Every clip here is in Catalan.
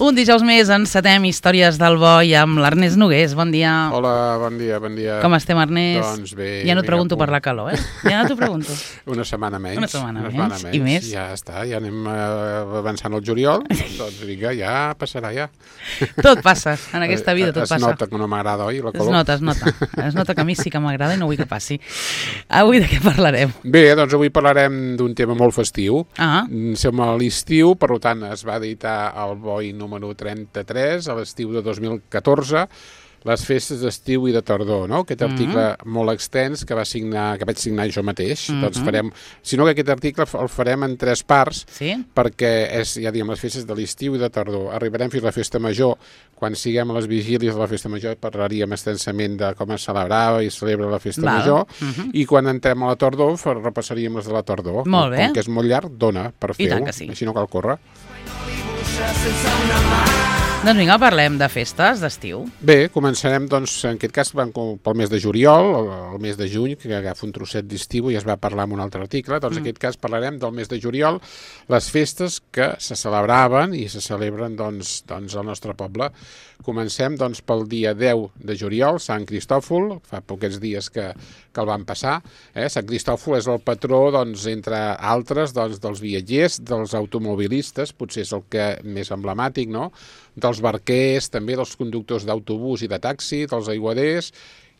Un dijous més encetem Històries del Boi amb l'Ernest Nogués. Bon dia. Hola, bon dia. Com estem, Ernest? Doncs bé. Ja no et pregunto per la calor, Ja no t'ho pregunto. Una setmana menys. Una setmana menys. I més? Ja està, ja anem avançant al juliol. Doncs vinga, ja passarà, ja. Tot passa, en aquesta vida tot passa. Es nota que no m'agrada, oi, la calor? Es nota. Es nota que a mi sí que m'agrada i no vull que passi. Avui de què parlarem? Bé, doncs avui parlarem d'un tema molt festiu. Som a l'estiu, per tant es va editar el Boi número 33 a l'estiu de 2014, les festes d'estiu i de tardor, no? Aquest article molt extens que vaig signar jo mateix. Doncs farem, si no que aquest article el farem en 3 parts, perquè és, ja diguem, les festes de l'estiu i de tardor. Arribarem fins a la festa major. Quan siguem a les vigílies de la festa major parlaríem extensament de com es celebrava i celebra la festa major, i quan entrem a la tardor repassaríem les de la tardor. Molt bé. Com que és molt llarg, dona per fer-ho, així no cal córrer. Doncs vinga, parlem de festes d'estiu. Bé, començarem, doncs, en aquest cas pel mes de juliol, el mes de juny, que agafa un trosset d'estiu i es va parlar en un altre article. Doncs en aquest cas parlarem del mes de juliol, les festes que se celebraven i se celebren doncs al nostre poble. Comencem doncs pel dia 10 de juliol, Sant Cristòfol, fa pocs dies que el van passar. Sant Cristòfol és el patró, doncs, entre altres, doncs, dels viatgers, dels automobilistes, potser és el que més emblemàtic, no?, dels barquers, també dels conductors d'autobús i de taxi, dels aiguaders,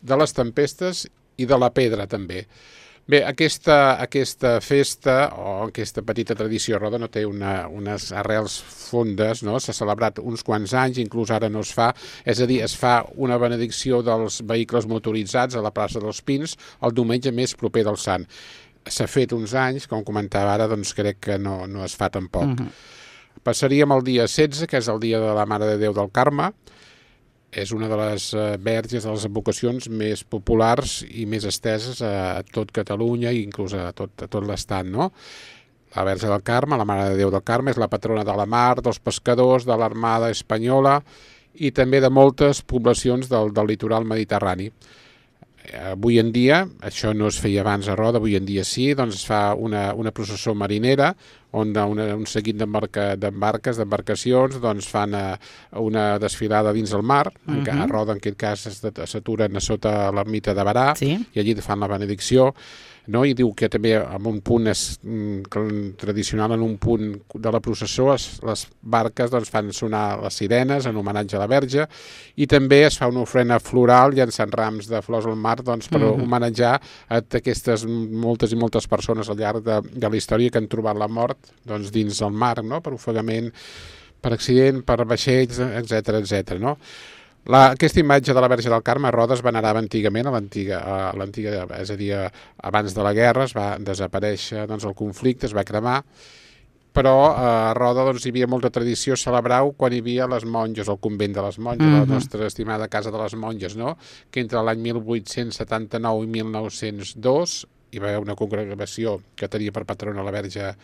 de les tempestes i de la pedra, també. Bé, aquesta festa, o aquesta petita tradició a Roda, no té unes arrels fondes, no? S'ha celebrat uns quants anys, inclús ara no es fa, és a dir, es fa una benedicció dels vehicles motoritzats a la plaça dels Pins el diumenge més proper del Sant. S'ha fet uns anys, com comentava ara, doncs crec que no es fa tampoc. Passaríem al dia 16, que és el dia de la Mare de Déu del Carme. És una de les verges, de les advocacions més populars i més esteses a tot Catalunya i inclús a tot l'Estat, no? La Verge del Carme, la Mare de Déu del Carme, és la patrona de la mar, dels pescadors, de l'Armada Espanyola i també de moltes poblacions del litoral mediterrani. Avui en dia, això no es feia abans a Roda, avui en dia sí, doncs es fa una processó marinera on un seguit d'embarcacions doncs fan una desfilada dins el mar, a Roda en aquest cas s'aturen a sota l'ermita de Barà i allí fan la benedicció, no? I diu que també en un punt tradicional, en un punt de la processó, les barques doncs, fan sonar les sirenes en homenatge a la Verge i també es fa una ofrena floral llançant rams de flors al mar doncs, per homenatjar a aquestes moltes i moltes persones al llarg de la història que han trobat la mort doncs, dins el mar, no? Per ofegament, per accident, per vaixells, etc., no? Aquesta imatge de la Verge del Carme a Roda es venerava antigament, a l'antiga, és a dir, abans de la guerra es va desaparèixer el conflicte, es va cremar, però a Roda hi havia molta tradició celebrar-ho quan hi havia les monges, el convent de les monges, la nostra estimada Casa de les Monges, no? Que entre l'any 1879 i 1902 hi va haver una congregació que tenia per patrona la Verge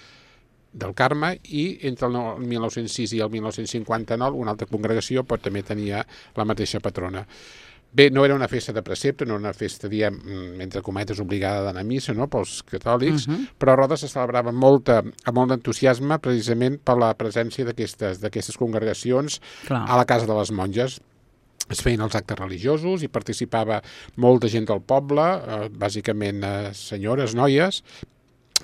del Carme i entre el 1906 i el 1959 una altra congregació però també tenia la mateixa patrona. Bé, no era una festa de precepte, no era una festa, diem, entre cometes, obligada d'anar a missa, no?, pels catòlics, però a Roda se celebrava amb molt d'entusiasme precisament per la presència d'aquestes congregacions a la Casa de les Monges. Es feien els actes religiosos i participava molta gent del poble, bàsicament senyores, noies,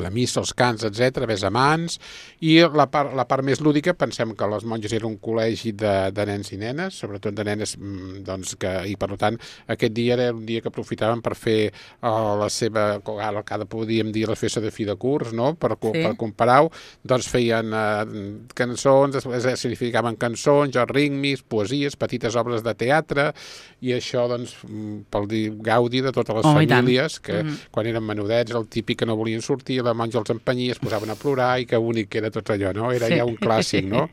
la missa, els cants, etc., besamans, i la part més lúdica, pensem que les monges era un col·legi de nens i nenes, sobretot de nenes, doncs, i per tant aquest dia era un dia que aprofitaven per fer la seva, ara podríem dir la festa de fi de curs, no?, per comparar-ho, doncs feien cançons, significaven cançons, ritmes, poesies, petites obres de teatre, i això, doncs, pel gaudi de totes les famílies, que quan eren menudets, el típic que no volien sortir, la monja els empenyia, es posaven a plorar i que bonic que era tot allò, no? Era ja un clàssic, no?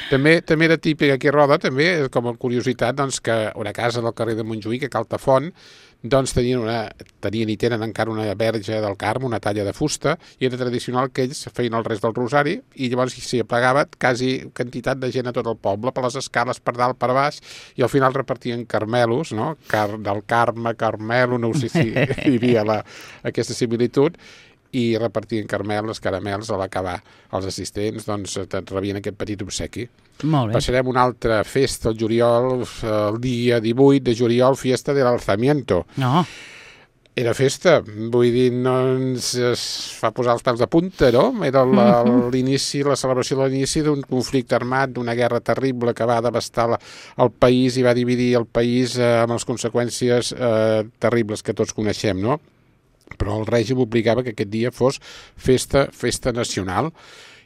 També era típic aquí a Roda, també, com a curiositat, doncs, que una casa del carrer de Montjuïc, a Caltafont, doncs tenien i tenen encara una verge del Carme, una talla de fusta, i era tradicional que ells feien el rest del rosari i llavors s'hi aplegava quasi quantitat de gent a tot el poble, per les escales, per dalt, per baix, i al final repartien carmelos, no? Del Carme, Carmelo, no sé si hi havia aquesta similitud, i repartien caramels a l'acabar. Els assistents doncs rebien aquest petit obsequi. Molt bé. Passarem una altra festa al juliol, el dia 18 de juliol, fiesta del alzamiento. No. Era festa, vull dir, no ens fa posar els pèls de punta, no? Era l'inici, la celebració de l'inici d'un conflicte armat, d'una guerra terrible que va devastar el país i va dividir el país amb les conseqüències terribles que tots coneixem, no? Però el règim obligava que aquest dia fos festa nacional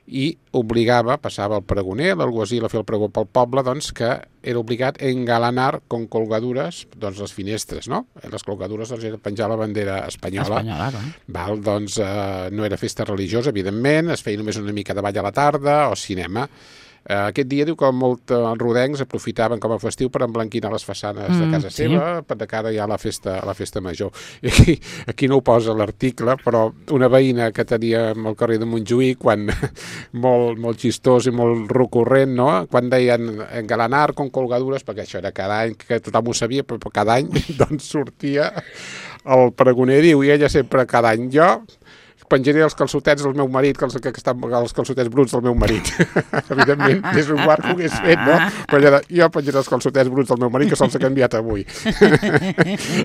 i obligava, passava el pregoner, l'alguacil a fer el pregó pel poble, doncs que era obligat a engalanar con colgadures, doncs les finestres, no? Les colgadures doncs era penjar la bandera espanyola. Val, doncs no era festa religiosa, evidentment, es feia només una mica de ball a la tarda o cinema. Aquest dia diu que molts rodencs aprofitaven com a festiu per emblanquinar les façanes de casa seva, de cara ja a la festa major. I aquí no ho posa l'article, però una veïna que teníem al carrer de Montjuïc, quan molt xistós i molt recurrent, no? Quan deien engalanar con colgadures, perquè això era cada any, que tothom ho sabia, però cada any doncs sortia el pregoner, diu, i ella sempre cada any, jo penjaré els calçotets del meu marit, que estan els calçotets bruts del meu marit. Evidentment, és un guard que ho hagués fet, no? Però jo penjaré els calçotets bruts del meu marit, que se'ls ha canviat avui.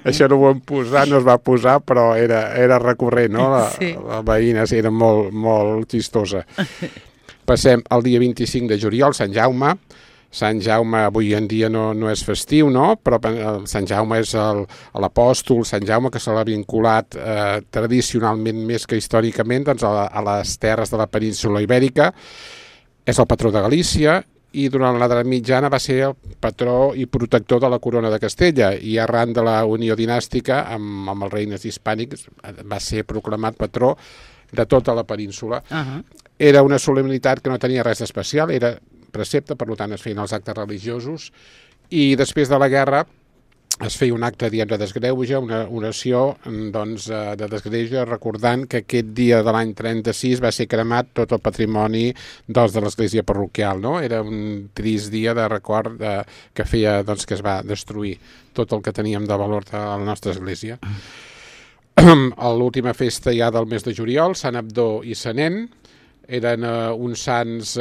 Això no ho vam posar, no es va posar, però era recurrent, no? La veïna era molt xistosa. Passem al dia 25 de juliol, Sant Jaume. Sant Jaume avui en dia no és festiu, no? Però Sant Jaume és l'apòstol, Sant Jaume que se l'ha vinculat tradicionalment més que històricament doncs, a les terres de la península Ibèrica. És el patró de Galícia i durant l'edat mitjana va ser el patró i protector de la corona de Castella i arran de la unió dinàstica amb els regnes hispànics va ser proclamat patró de tota la península. Era una solemnitat que no tenia res d'especial, era precepte, per tant es feien els actes religiosos i després de la guerra es feia un acte, diem, de desgreuge, una oració doncs, de desgreuge recordant que aquest dia de l'any 36 va ser cremat tot el patrimoni de l'església parroquial, no? Era un trist dia de record que feia doncs, que es va destruir tot el que teníem de valor de la nostra església. L'última festa ja del mes de juliol, Sant Abdó i Sant Nen, eren uns sants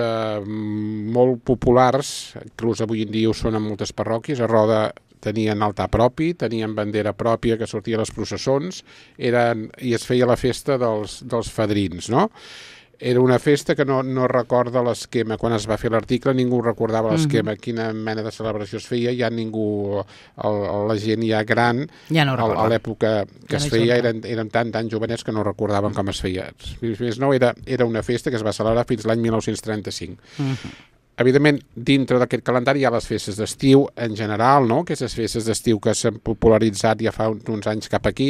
molt populars, inclús avui en dia ho són en moltes parròquies. A Roda tenien altar propi, tenien bandera pròpia que sortia a les processons, i es feia la festa dels fadrins, no? Era una festa que no recorda l'esquema. Quan es va fer l'article ningú recordava l'esquema, quina mena de celebració es feia, ja ningú, la gent ja gran, ja no a l'època que es feia, eren tan jovenets que no recordaven com es feia. Més no, era una festa que es va celebrar fins l'any 1935. Evidentment, dintre d'aquest calendari hi ha les festes d'estiu en general, no? Aquestes festes d'estiu que s'han popularitzat ja fa uns anys cap aquí,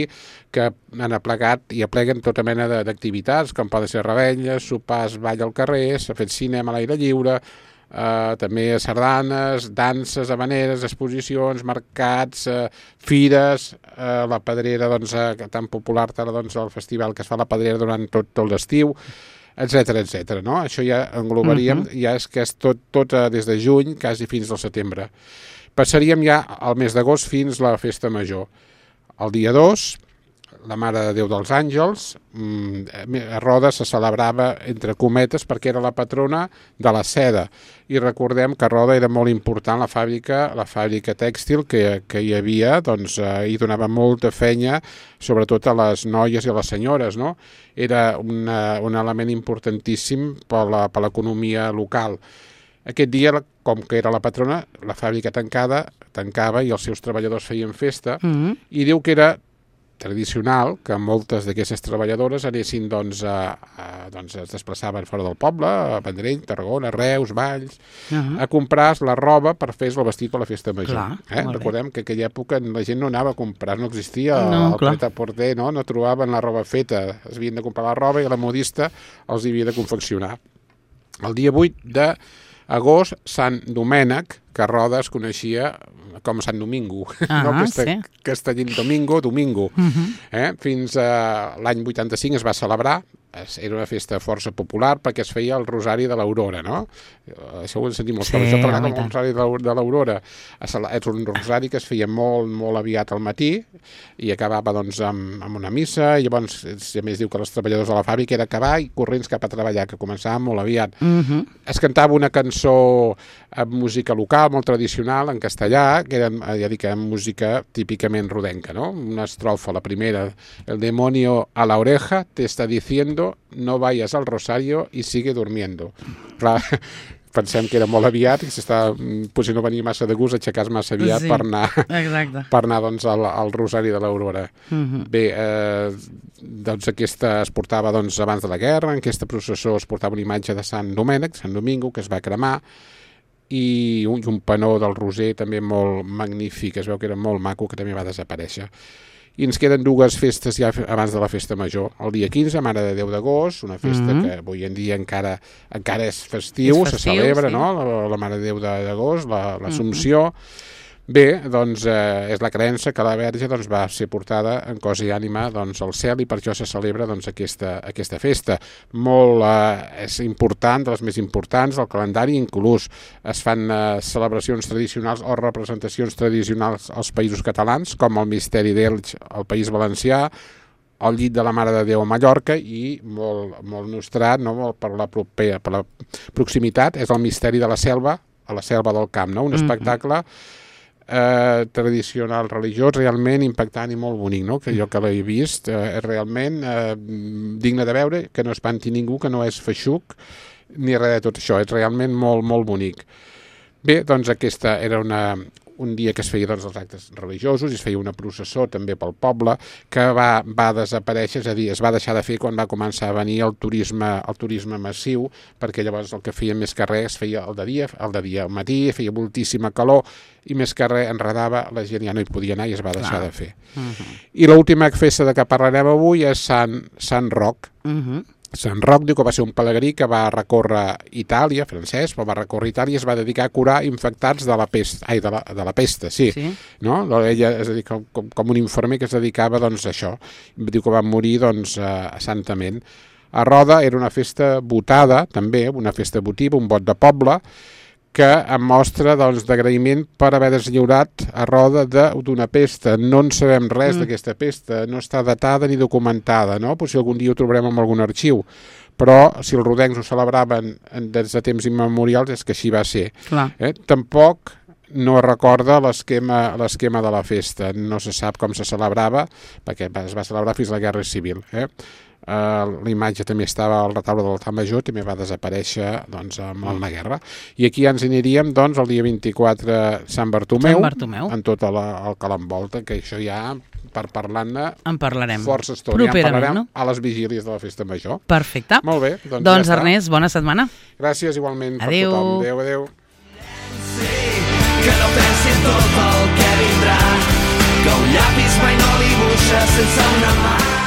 que han aplegat i apleguen tota mena d'activitats, com poden ser revetlles, sopars, ball al carrer, s'ha fet cinema a l'aire lliure, també sardanes, danses, havaneres, exposicions, mercats, fires, la Pedrera, doncs, tan popular, doncs, el festival que es fa a la Pedrera durant tot l'estiu, etc, no? Això ja englobaríem, ja és que és tot des de juny, quasi fins al setembre. Passaríem ja al mes d'agost fins la festa major. El dia 2, la Mare de Déu dels Àngels, a Roda se celebrava entre cometes perquè era la patrona de la seda. I recordem que a Roda era molt important la fàbrica tèxtil que hi havia, doncs hi donava molta feina, sobretot a les noies i a les senyores, no? Era un element importantíssim per l'economia local. Aquest dia, com que era la patrona, la fàbrica tancava i els seus treballadors feien festa, i diu que era tradicional que moltes d'aquestes treballadores anessin, doncs, es desplaçaven fora del poble, a Vendrell, Tarragona, Reus, Valls, a comprar la roba per fer el vestit per la festa major. Recordem que en aquella època la gent no anava a comprar, no existia el pret-a-porter, no trobaven la roba feta, es havien de comprar la roba i la modista els havia de confeccionar. El dia 8 d'agost, Sant Domènec, que a Roda es coneixia com Sant Domingo, castellín Domingo. Fins a l'any 85 es va celebrar era una festa força popular perquè es feia el Rosari de l'Aurora, no? Això ho hem sentit molts cops. Jo parlar com el Rosari de l'Aurora. És un rosari que es feia molt, molt aviat al matí i acabava doncs amb una missa, i llavors a més diu que els treballadors de la fàbrica era acabar i corrents cap a treballar, que començava molt aviat. Es cantava una cançó amb música local, molt tradicional, en castellà, que era, ja dic, música típicament rodenca, no? Una estrofa, la primera: el demonio a la oreja te está diciendo no vayas al rosario y sigue durmiendo. Clar, pensem que era molt aviat i potser no venia massa de gust aixecar-se massa aviat per anar doncs, al Rosari de l'Aurora. Bé, doncs aquesta es portava doncs, abans de la guerra, en aquesta processó es portava una imatge de Sant Domènec, Sant Domingo, que es va cremar, i un panó del Roser també molt magnífic, es veu que era molt maco, que també va desaparèixer. I ens queden dues festes ja abans de la festa major. El dia 15, Mare de Déu d'Agost, una festa que avui en dia encara és festiu, se celebra, sí. No? La Mare de Déu d'Agost, l'Assumpció. Bé, doncs és la creença que la Verge doncs, va ser portada en cos i ànima doncs, al cel, i per això se celebra doncs, aquesta festa. És important, de les més importants del calendari, inclús es fan celebracions tradicionals o representacions tradicionals als països catalans, com el Misteri d'Elx al País Valencià, el Llit de la Mare de Déu a Mallorca, i molt nostrat, no? Per la proximitat, és el Misteri de la Selva, a la Selva del Camp, no? Un espectacle tradicional religiós realment impactant i molt bonic, no? Que jo que l'he vist és realment digne de veure, que no espanti ningú, que no és feixuc ni res de tot això, és realment molt, molt bonic. Bé, doncs aquesta era un dia que es feia doncs, els actes religiosos, i es feia una processó també pel poble, que va desaparèixer, és a dir, es va deixar de fer quan va començar a venir el turisme massiu, perquè llavors el que feia més que res es feia el de dia, al matí, feia moltíssima calor, i més que res enredava, la gent ja no hi podia anar i es va deixar de fer. I l'última festa de què parlarem avui és Sant Roc. Sant Roc diu que va ser un pelegrí que va recórrer Itàlia, francès, però va recórrer Itàlia i es va dedicar a curar infectats de la pesta, sí. No? Ella, és a dir, com un infermer que es dedicava doncs, a això. Diu que va morir doncs, santament. A Roda era una festa votada, també, una festa votiva, un vot de poble, que em mostra doncs, d'agraïment per haver deslliurat a Roda d'una pesta. No en sabem res d'aquesta pesta, no està datada ni documentada, no? Potser algun dia ho trobarem en algun arxiu, però si els rodencs ho celebraven des de temps immemorials és que així va ser. Tampoc no recorda l'esquema de la festa, no se sap com se celebrava, perquè es va celebrar fins a la Guerra Civil. La imatge també estava al retaule de l'altar major, també va desaparèixer doncs, amb la guerra. I aquí ens aniríem doncs, el dia 24 Sant Bartomeu, en tot el que l'envolta, que això ja, per parlar-ne, en parlarem força estona. Ja en parlarem a les vigílies de la festa major. Perfecte. Molt bé. Doncs ja Ernest, bona setmana. Gràcies igualment per adéu. Tothom. Adéu. Que no pensi en tot el que vindrà, que un llapis mai no dibuixa sense una mà.